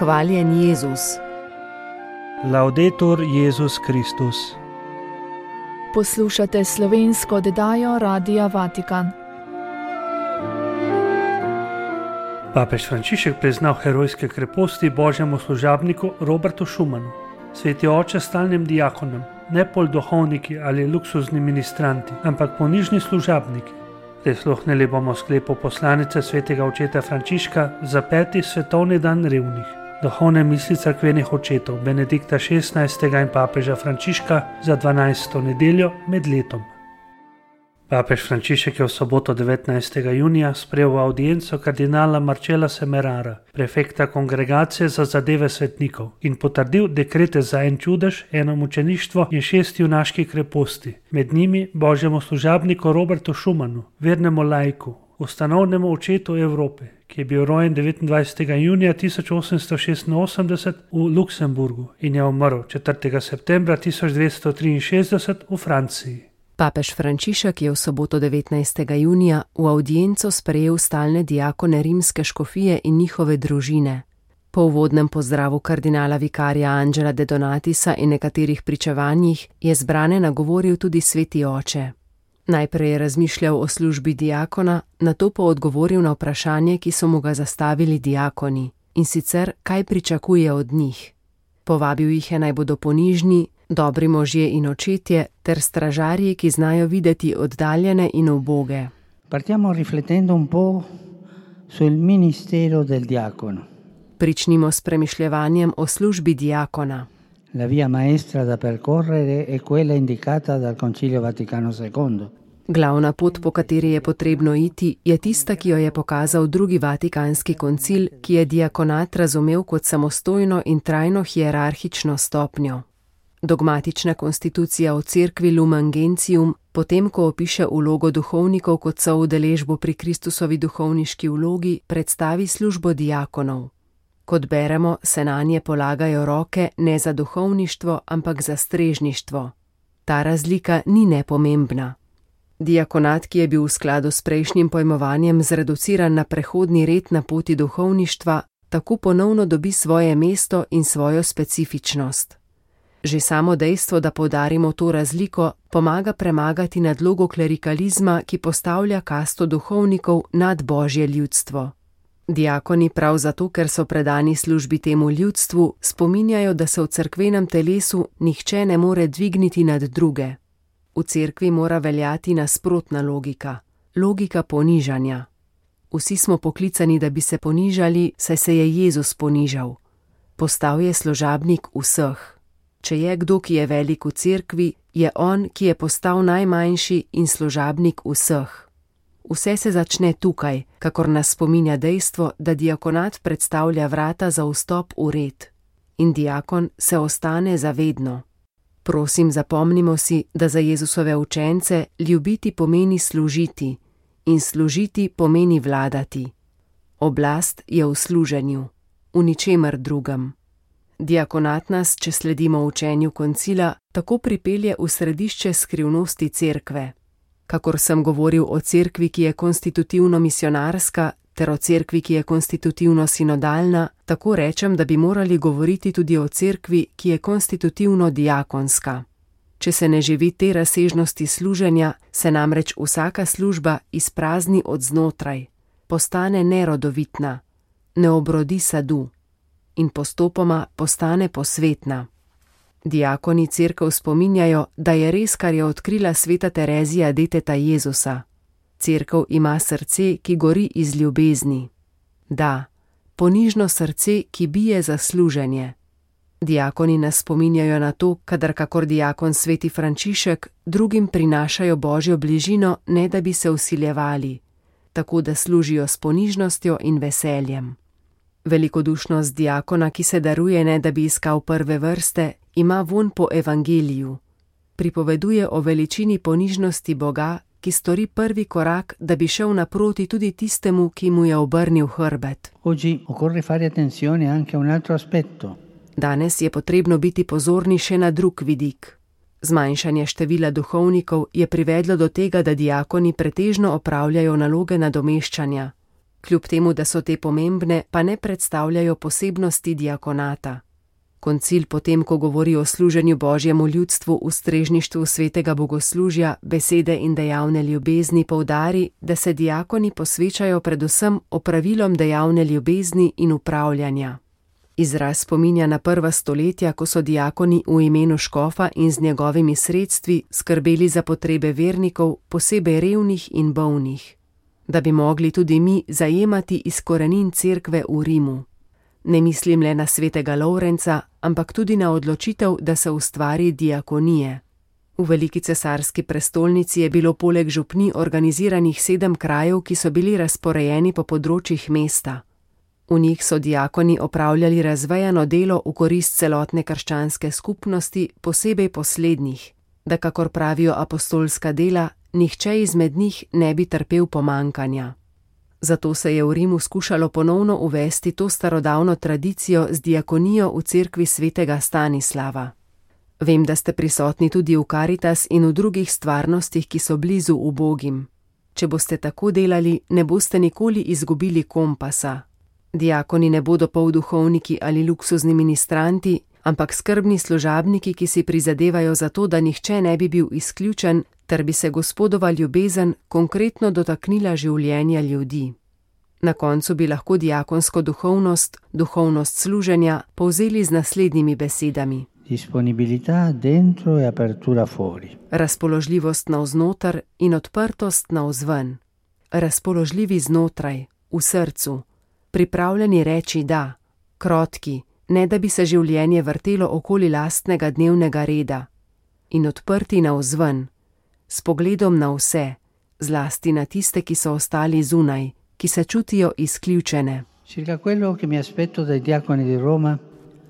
Hvaljen Jezus. Laudetur Jezus Kristus. Poslušate slovensko oddajo Radia Vatikan. Papež Frančišek priznal herojske kreposti božjemu služabniku Robertu Schumanu. Sveti oče stalnim diakonom, ne pol duhovniki ali luksuzni ministranti, ampak ponižni služabniki. Prisluhnili bomo sklepu poslanice svetega očeta Frančiška za 5. svetovni dan revnih. Duhovne misli cerkvenih očetov Benedikta XVI. In papeža Frančiška za 12. nedeljo med letom. Papež Frančišek je v soboto 19. junija sprejel audienco kardinala Marcella Semerara, prefekta Kongregacije za zadeve svetnikov, in potrdil dekrete za en čudež, eno mučeništvo in 6 junaških kreposti, med njimi božjemu služabniku Robertu Schumanu, vernemu laiku, ustanovnemu očetu Evrope, ki je bil rojen 29. junija 1886 v Luksemburgu in je umrl 4. septembra 1263 v Franciji. Papež Frančišek je v soboto 19. junija v audienco sprejel stalne diakone rimske škofije in njihove družine. Po uvodnem pozdravu kardinala vikarija Angela de Donatisa in nekaterih pričevanjih je zbrane nagovoril tudi sveti oče. Najprej je razmišljal o službi diakona, nato pa odgovoril na vprašanje, ki so mu ga zastavili diakoni, in sicer kaj pričakuje od njih. Povabil jih je naj bodo ponižni, dobri možje in očetje ter stražarji, ki znajo videti oddaljene in uboge. Partiamo riflettendo un po' sul ministero del diacono. Pričnimo s premišljevanjem o službi diakona. La via maestra da percorrere è quella indicata dal Concilio Vaticano II. Glavna pot, po kateri je potrebno iti, je tista, ki jo je pokazal drugi Vatikanski koncil, ki je diakonat razumel kot samostojno in trajno hierarhično stopnjo. Dogmatična konstitucija o cerkvi Lumen Gentium, potem ko opiše vlogo duhovnikov kot soudeležbo pri Kristusovi duhovniški vlogi, predstavi službo diakonov. Kot beremo, se nanje polagajo roke ne za duhovništvo, ampak za strežništvo. Ta razlika ni nepomembna. Diakonat, ki je bil v skladu s prejšnjim pojmovanjem zreduciran na prehodni red na poti duhovništva, tako ponovno dobi svoje mesto in svojo specifičnost. Že samo dejstvo, da poudarimo to razliko, pomaga premagati nadlogo klerikalizma, ki postavlja kasto duhovnikov nad božje ljudstvo. Diakoni prav zato, ker so predani službi temu ljudstvu, spominjajo, da se v cerkvenem telesu nihče ne more dvigniti nad druge. V cerkvi mora veljati nasprotna logika, logika ponižanja. Vsi smo poklicani, da bi se ponižali, saj se je Jezus ponižal. Postal je služabnik vseh. Če je kdo, ki je velik v cerkvi, je on, ki je postal najmanjši in služabnik vseh. Vse se začne tukaj, kakor nas spominja dejstvo, da diakonat predstavlja vrata za vstop v red. In diakon se ostane zavedno. Prosim, zapomnimo si, da za Jezusove učence ljubiti pomeni služiti in služiti pomeni vladati. Oblast je v služenju, v ničemer drugem. Diakonat nas, če sledimo učenju koncila, tako pripelje v središče skrivnosti cerkve. Kakor sem govoril o cerkvi, ki je konstitutivno misionarska, ter o cerkvi, ki je konstitutivno sinodalna, tako rečem, da bi morali govoriti tudi o cerkvi, ki je konstitutivno diakonska. Če se ne živi te razsežnosti služenja, se namreč vsaka služba izprazni od znotraj, postane nerodovitna, ne obrodi sadu in postopoma postane posvetna. Diakoni cerkev spominjajo, da je res, kar je odkrila sveta Terezija deteta Jezusa. Cerkev ima srce, ki gori iz ljubezni. Da, ponižno srce, ki bije za služenje. Diakoni nas spominjajo na to, kadar kakor diakon sveti Frančišek drugim prinašajo božjo bližino, ne da bi se vsiljevali, tako da služijo s ponižnostjo in veseljem. Velikodušnost diakona, ki se daruje, ne da bi iskal prve vrste, ima vonj po evangeliju. Pripoveduje o veličini ponižnosti Boga, ki stori prvi korak, da bi šel naproti tudi tistemu, ki mu je obrnil hrbet. Danes je potrebno biti pozorni še na drug vidik. Zmanjšanje števila duhovnikov je privedlo do tega, da diakoni pretežno opravljajo naloge nadomeščanja. Kljub temu, da so te pomembne, pa ne predstavljajo posebnosti diakonata. Koncil potem, ko govori o služenju Božjemu ljudstvu v strežništvu svetega bogoslužja, besede in dejavne ljubezni, poudari, da se diakoni posvečajo predvsem opravilom dejavne ljubezni in upravljanja. Izraz spominja na prva stoletja, ko so diakoni v imenu škofa in z njegovimi sredstvi skrbeli za potrebe vernikov, posebej revnih in bolnih. Da bi mogli tudi mi zajemati iz korenin cerkve v Rimu. Ne mislim le na svetega Lovrenca, ampak tudi na odločitev, da se ustvari diakonije. V veliki cesarski prestolnici je bilo poleg župni organiziranih 7 krajev, ki so bili razporejeni po področjih mesta. V njih so diakoni opravljali razvejano delo v korist celotne krščanske skupnosti, posebej poslednjih, da, kakor pravijo apostolska dela, nihče izmed njih ne bi trpel pomankanja. Zato se je v Rimu skušalo ponovno uvesti to starodavno tradicijo z diakonijo v cerkvi svetega Stanislava. Vem, da ste prisotni tudi v Karitas in v drugih stvarnostih, ki so blizu ubogim. Če boste tako delali, ne boste nikoli izgubili kompasa. Diakoni ne bodo polduhovniki ali luksuzni ministranti, ampak skrbni služabniki, ki si prizadevajo za to, da nihče ne bi bil izključen, ter bi se Gospodova ljubezen konkretno dotaknila življenja ljudi. Na koncu bi lahko diakonsko duhovnost, duhovnost služenja, povzeli z naslednjimi besedami. Disponibilità dentro e apertura fuori. Razpoložljivost navznoter in odprtost navzven. Razpoložljivi znotraj, v srcu. Pripravljeni reči da, krotki, ne da bi se življenje vrtelo okoli lastnega dnevnega reda. In odprti navzven. S pogledom na vse, zlasti na tiste, ki so ostali zunaj, ki se čutijo izključene.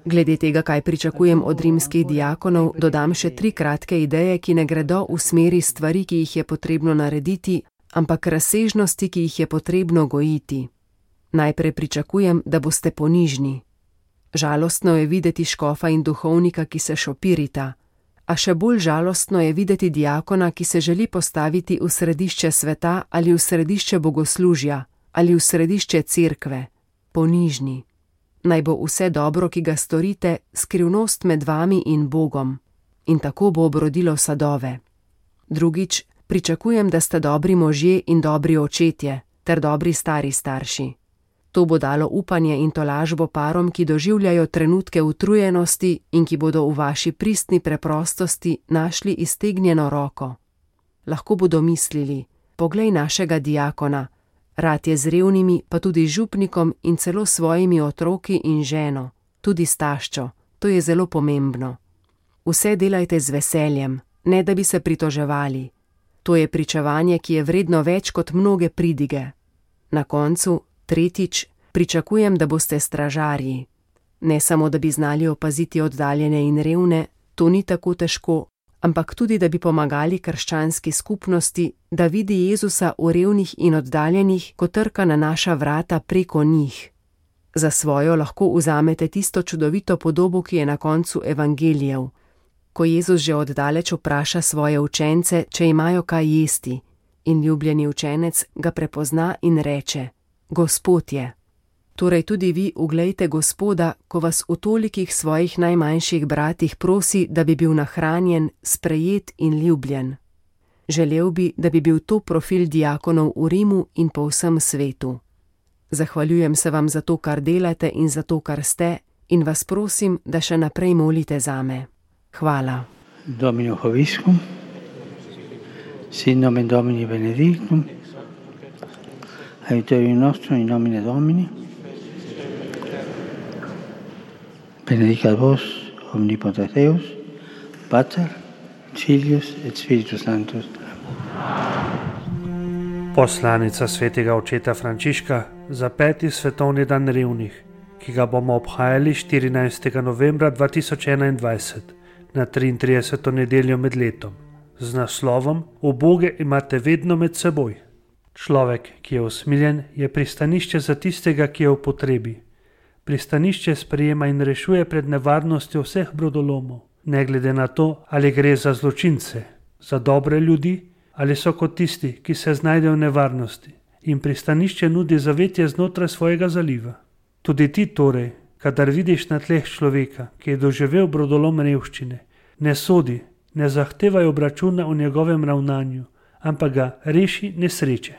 Glede tega, kaj pričakujem od rimskih diakonov, dodam še 3 kratke ideje, ki ne gredo v smeri stvari, ki jih je potrebno narediti, ampak razsežnosti, ki jih je potrebno gojiti. Najprej pričakujem, da boste ponižni. Žalostno je videti škofa in duhovnika, ki se šopirita. A še bolj žalostno je videti diakona, ki se želi postaviti v središče sveta ali v središče bogoslužja ali v središče cerkve. Ponižni. Naj bo vse dobro, ki ga storite, skrivnost med vami in Bogom. In tako bo obrodilo sadove. Drugič, pričakujem, da ste dobri možje in dobri očetje, ter dobri stari starši. To bo dalo upanje in tolažbo parom, ki doživljajo trenutke utrujenosti in ki bodo v vaši pristni preprostosti našli iztegnjeno roko. Lahko bodo mislili, poglej našega diakona, rad je z revnimi, pa tudi župnikom in celo svojimi otroki in ženo, tudi s taščo, to je zelo pomembno. Vse delajte z veseljem, ne da bi se pritoževali. To je pričevanje, ki je vredno več kot mnoge pridige. Na koncu, tretjič, pričakujem, da boste stražarji. Ne samo, da bi znali opaziti oddaljene in revne, to ni tako težko, ampak tudi, da bi pomagali krščanski skupnosti, da vidi Jezusa v revnih in oddaljenih, ko trka na naša vrata preko njih. Za svojo lahko vzamete tisto čudovito podobo, ki je na koncu evangelijev. Ko Jezus že oddaleč vpraša svoje učence, če imajo kaj jesti, in ljubljeni učenec ga prepozna in reče: Gospod je. Torej tudi vi uglejte Gospoda, ko vas v tolikih svojih najmanjših bratih prosi, da bi bil nahranjen, sprejet in ljubljen. Želel bi, da bi bil to profil diakonov v Rimu in po vsem svetu. Zahvaljujem se vam za to, kar delate in za to, kar ste, in vas prosim, da še naprej molite zame. Hvala. Domino Hoviscum, sit nomen Domini benedictum, aiuterium nostrum in nomine Domini, benedicat vos omnipotens Deus, Pater, Filius et Spiritus Sanctus. Poslanica svetega očeta Frančiška za 5. svetovni dan revnih, ki ga bomo obhajali 14. novembra 2021 na 33. nedeljo med letom, z naslovom Uboge imate vedno med seboj. Človek, ki je usmiljen, je pristanišče za tistega, ki je v potrebi. Pristanišče sprejema in rešuje pred nevarnostjo vseh brodolomov, ne glede na to, ali gre za zločince, za dobre ljudi, ali so kot tisti, ki se znajdejo v nevarnosti, in pristanišče nudi zavetje znotraj svojega zaliva. Tudi ti torej, kadar vidiš na tleh človeka, ki je doživel brodolom revščine, ne sodi, ne zahtevaj obračuna o njegovem ravnanju, ampak ga reši nesreče.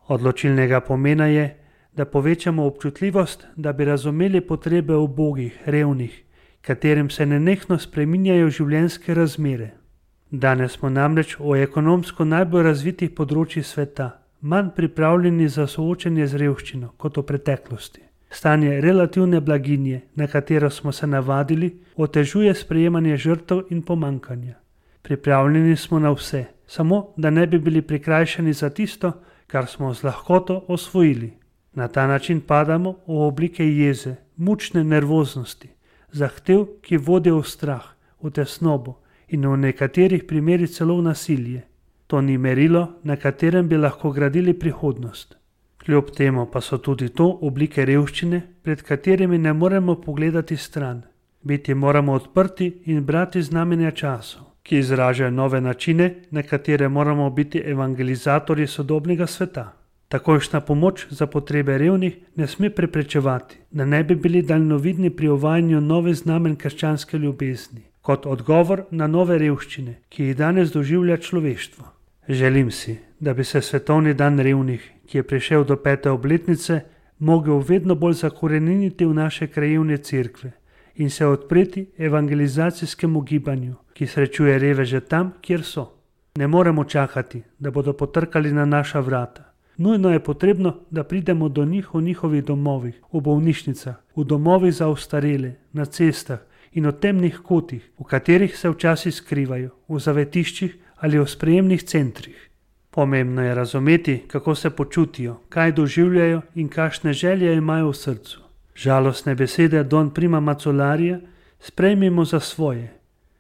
Odločilnega pomena je, da povečamo občutljivost, da bi razumeli potrebe ubogih, revnih, katerim se nenehno spreminjajo življenjske razmere. Danes smo namreč o ekonomsko najbolj razvitih področjih sveta manj pripravljeni za soočenje z revščino kot v preteklosti. Stanje relativne blaginje, na katero smo se navadili, otežuje sprejemanje žrtev in pomankanja. Pripravljeni smo na vse, samo da ne bi bili prikrajšani za tisto, kar smo z lahkoto osvojili. Na ta način padamo v oblike jeze, mučne nervoznosti, zahtev, ki vodijo v strah, v tesnobo in v nekaterih primerih celo v nasilje. To ni merilo, na katerem bi lahko gradili prihodnost. Kljub temu pa so tudi to oblike revščine, pred katerimi ne moremo pogledati stran. Biti moramo odprti in brati znamenja časov, ki izražajo nove načine, na katere moramo biti evangelizatorji sodobnega sveta. Takojšnja pomoč za potrebe revnih ne sme preprečevati, da ne bi bili daljnovidni pri uvajanju novih znamen krščanske ljubezni, kot odgovor na nove revščine, ki jih danes doživlja človeštvo. Želim si, da bi se svetovni dan revnih, ki je prišel do 5. obletnice, mogel vedno bolj zakoreniniti v naše krajevne cerkve in se odpreti evangelizacijskemu gibanju, ki srečuje reveže tam, kjer so. Ne moremo čakati, da bodo potrkali na naša vrata. Nujno je potrebno, da pridemo do njih v njihovih domovih, v bolnišnicah, v domovih za ostarele, na cestah in v temnih kotih, v katerih se včasih skrivajo, v zavetiščih ali v sprejemnih centrih. Pomembno je razumeti, kako se počutijo, kaj doživljajo in kakšne želje imajo v srcu. Žalostne besede Don Prima Macolarija sprejmimo za svoje.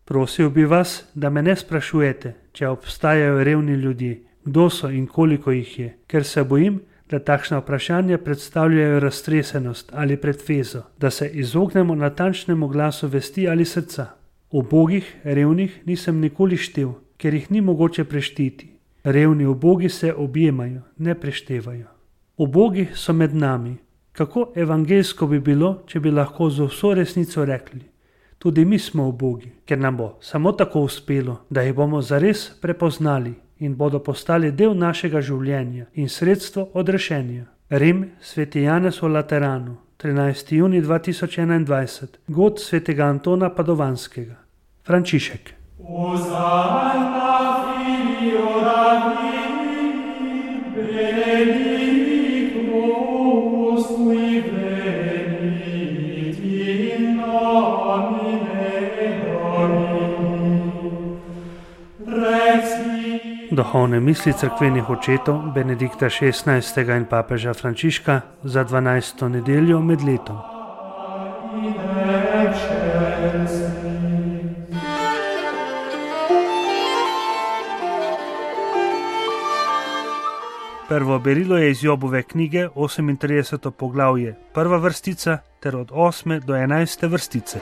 Prosil bi vas, da me ne sprašujete, če obstajajo revni ljudje, kdo so in koliko jih je, ker se bojim, da takšna vprašanja predstavljajo raztresenost ali pretvezo, da se izognemo natančnemu glasu vesti ali srca. Ubogih, revnih nisem nikoli štel, ker jih ni mogoče prešteti. Revni ubogi se objemajo, ne preštevajo. Ubogi so med nami. Kako evangelsko bi bilo, če bi lahko z vso resnico rekli: tudi mi smo ubogi, ker nam bo samo tako uspelo, da jih bomo zares prepoznali in bodo postali del našega življenja in sredstvo odrešenja. Rim, Sveti Janez v Lateranu, 13. junij 2021, god svetega Antona Padovanskega. Frančišek. Duhovne misli cerkvenih očetov Benedikta XVI. In papeža Frančiška za 12. nedeljo med letom. Prvo berilo je iz Jobove knjige, 38. poglavje, prva vrstica ter od 8. do 11. vrstice.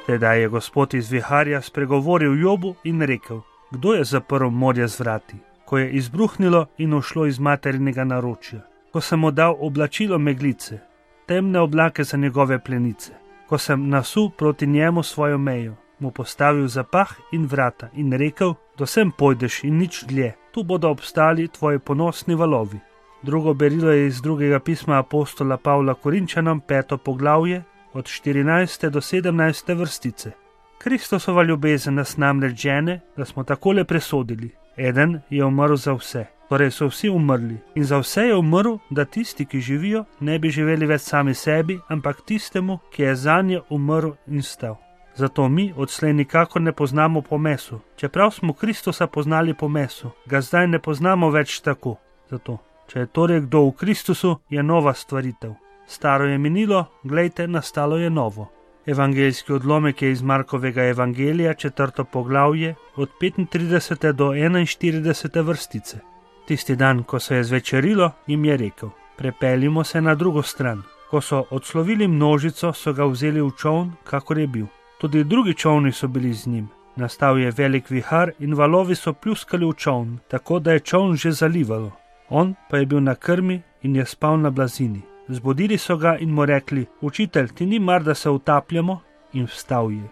Tedaj je Gospod iz viharja spregovoril Jobu in rekel: kdo je zaprl morje z vrati, ko je izbruhnilo in ušlo iz materinega naročja, ko sem mu dal oblačilo meglice, temne oblake za njegove plenice, ko sem nasul proti njemu svojo mejo, mu postavil zapah in vrata in rekel: do sem pojdeš in nič dlje, tu bodo obstali tvoji ponosni valovi. Drugo berilo je iz drugega pisma apostola Pavla Korinčanom, 5. poglavje, od 14. do 17. vrstice. Kristusova ljubezen nas namreč žene, da smo takole presodili: eden je umrl za vse, torej so vsi umrli, in za vse je umrl, da tisti, ki živijo, ne bi živeli več sami sebi, ampak tistemu, ki je zanje umrl in stal. Zato mi odslej nikakor ne poznamo po mesu. Čeprav smo Kristusa poznali po mesu, ga zdaj ne poznamo več tako. Zato, če je torej kdo v Kristusu, je nova stvaritev. Staro je minilo, glejte, nastalo je novo. Evangeljski odlomek je iz Markovega evangelija, 4. poglavje, od 35. do 41. vrstice. Tisti dan, ko se je zvečerilo, jim je rekel: prepeljimo se na drugo stran. Ko so odslovili množico, so ga vzeli v čoln, kakor je bil. Tudi drugi čolni so bili z njim. Nastal je velik vihar in valovi so pljuskali v čoln, tako da je čoln že zalivalo. On pa je bil na krmi in je spal na blazini. Zbudili so ga in mu rekli: Učitelj, ti ni mar, da se utapljamo? In vstal je.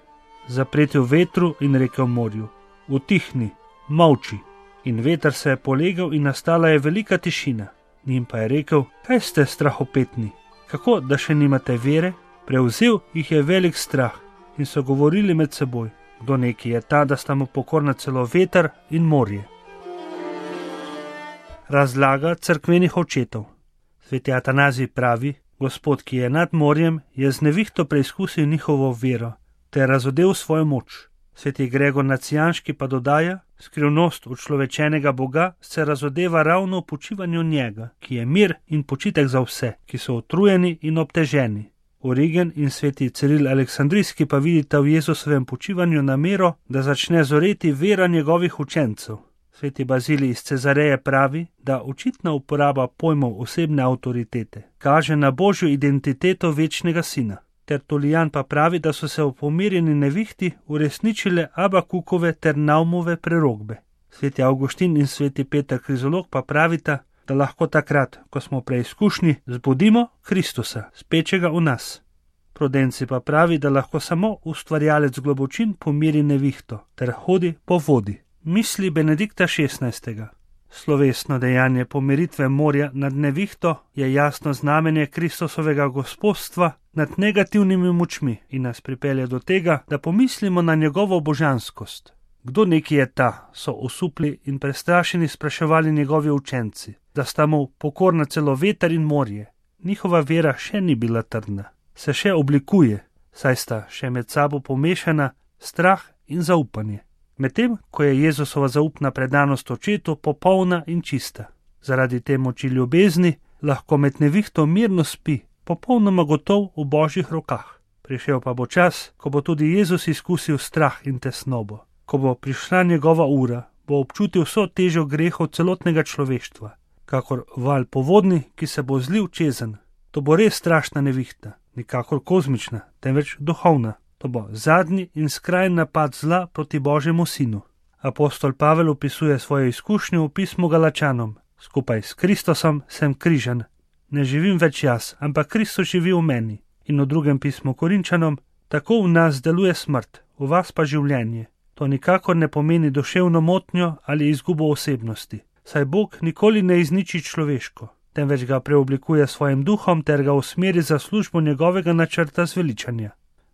Zapretil vetru in rekel morju: Utihni, molči. In veter se je polegal in nastala je velika tišina. Njim pa je rekel: Kaj ste strahopetni? Kako, da še nimate vere? Prevzel jih je velik strah in so govorili med seboj: Kdo neki je ta, da sta mu pokorna celo veter in morje? Razlaga cerkvenih očetov. Sveti Atanazij pravi: Gospod, ki je nad morjem, je z nevihto preizkusil njihovo vero ter razodel svojo moč. Sveti Gregor Nacijanški pa dodaja: Skrivnost učlovečenega Boga se razodeva ravno v počivanju njega, ki je mir in počitek za vse, ki so utrujeni in obteženi. Origen in sveti Ciril Aleksandrijski pa vidita v Jezusovem počivanju namero, da začne zoreti vera njegovih učencev. Sveti Bazilij iz Cezareje pravi, da očitna uporaba pojmov osebne avtoritete kaže na božjo identiteto večnega sina. Tertulijan pa pravi, da so se v pomirjeni nevihti uresničile Abakukove ter Naumove prerokbe. Sveti Avguštin in sveti Peter Krizolog pa pravita, da lahko takrat, ko smo preizkušni, zbudimo Kristusa, spečega v nas. Prudenci pa pravi, da lahko samo ustvarjalec globočin pomiri nevihto ter hodi po vodi. Misli Benedikta XVI. Slovesno dejanje pomiritve morja nad nevihto je jasno znamenje Kristusovega gospodstva nad negativnimi močmi in nas pripelje do tega, da pomislimo na njegovo božanskost. Kdo neki je ta, so osupli in prestrašeni spraševali njegovi učenci, da sta mu pokorna celo veter in morje. Njihova vera še ni bila trdna, se še oblikuje, saj sta še med sabo pomešana strah in zaupanje. Medtem, ko je Jezusova zaupna predanost očetu popolna in čista. Zaradi te moči ljubezni lahko med nevihto mirno spi, popolnoma gotov v božjih rokah. Prišel pa bo čas, ko bo tudi Jezus izkusil strah in tesnobo. Ko bo prišla njegova ura, bo občutil vso težo grehov celotnega človeštva, kakor val povodni, ki se bo zlil čezenj. To bo res strašna nevihta, nikakor kozmična, temveč duhovna. To bo zadnji in skrajni napad zla proti Božjemu sinu. Apostol Pavel opisuje svojo izkušnjo v pismu Galačanom. Skupaj s Kristusom sem križan. Ne živim več jaz, ampak Kristus živi v meni. In v drugem pismu Korinčanom: Tako v nas deluje smrt, v vas pa življenje. To nikakor ne pomeni duševno motnjo ali izgubo osebnosti, saj Bog nikoli ne izniči človeško, temveč ga preoblikuje s svojim duhom ter ga usmeri za službo njegovega načrta zveličanja.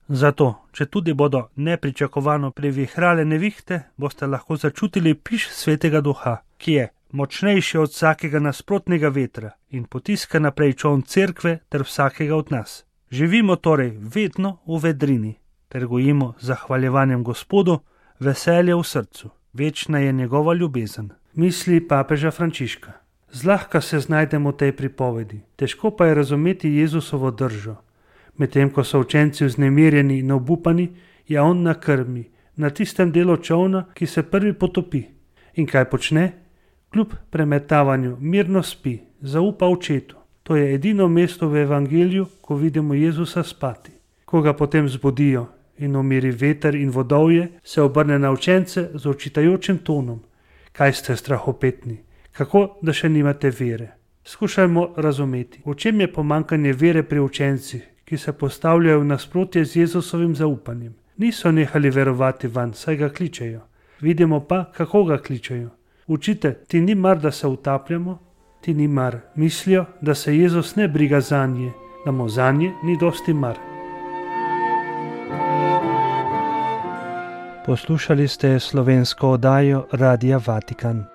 Zato, če tudi bodo nepričakovano previhrale nevihte, boste lahko začutili piš svetega duha, ki je močnejši od vsakega nasprotnega vetra in potiska naprej čoln cerkve ter vsakega od nas. Živimo torej vedno v vedrini, ter gojimo z zahvaljevanjem Gospodu veselje v srcu. Večna je njegova ljubezen. Misli papeža Frančiška. Zlahka se znajdemo v tej pripovedi, težko pa je razumeti Jezusovo držo. Medtem ko so učenci vznemirjeni in obupani, je on na krmi, na tistem delu čolna, ki se prvi potopi. In kaj počne? Kljub premetavanju mirno spi, zaupa očetu. To je edino mesto v evangeliju, ko vidimo Jezusa spati. Ko ga potem zbudijo in umiri veter in vodovje, se obrne na učence z očitajočim tonom. Kaj ste strahopetni? Kako, da še nimate vere? Skušajmo razumeti, v čem je pomanjkanje vere pri učencih, ki se postavljajo v nasprotje z Jezusovim zaupanjem. Niso nehali verovati vanj, saj ga kličejo. Vidimo pa, kako ga kličejo. Učitelj, ti ni mar, da se utapljamo? Ti ni mar. Mislijo, da se Jezus ne briga zanje, da mu zanje ni dosti mar. Poslušali ste slovensko oddajo Radia Vatikan.